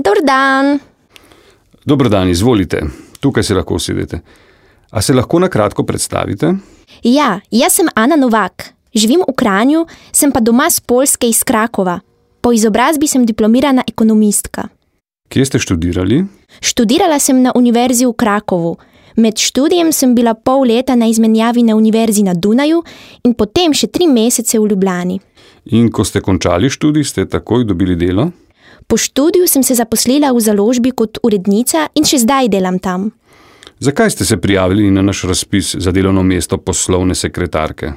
Dober dan. Dober dan, izvolite. Tukaj se lahko usedete. A se lahko na kratko predstavite? Ja, jaz sem Ana Novak. Živim v Kranju, sem pa doma z Poljske iz Krakova. Po izobrazbi sem diplomirana ekonomistka. Kje ste študirali? Študirala sem na univerzi v Krakovu. Med študijem sem bila pol leta na izmenjavi na univerzi na Dunaju in potem še 3 mesece v Ljubljani. In ko ste končali študij, ste takoj dobili delo? Po študiju sem se zaposlila v založbi kot urednica in še zdaj delam tam. Zakaj ste se prijavili na naš razpis za delovno mesto poslovne sekretarke?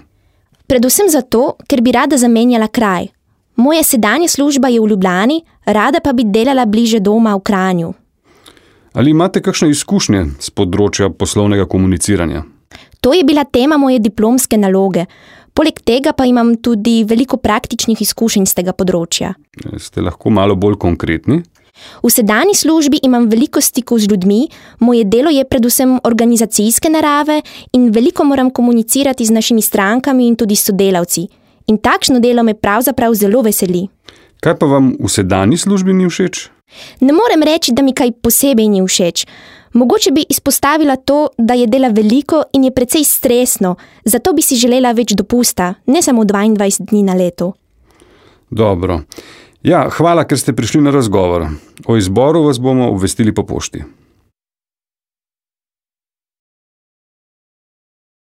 Predvsem zato, ker bi rada zamenjala kraj. Moja sedanja služba je v Ljubljani, rada pa bi delala bliže doma v Kranju. Ali imate kakšne izkušnje z področja poslovnega komuniciranja? To je bila tema moje diplomske naloge. Poleg tega pa imam tudi veliko praktičnih izkušenj z tega področja. Ste lahko malo bolj konkretni? V sedanji službi imam veliko stikov z ljudmi, moje delo je predvsem organizacijske narave in veliko moram komunicirati z našimi strankami in tudi s sodelavci. In takšno delo me pravzaprav zelo veseli. Kaj pa vam v sedanji službi ni všeč? Ne morem reči, da mi kaj posebej ni všeč. Mogoče bi izpostavila to, da je dela veliko in je precej stresno, zato bi si želela več dopusta, ne samo 22 dni na leto. Dobro. Ja, hvala, ker ste prišli na razgovor. O izboru vas bomo obvestili po pošti.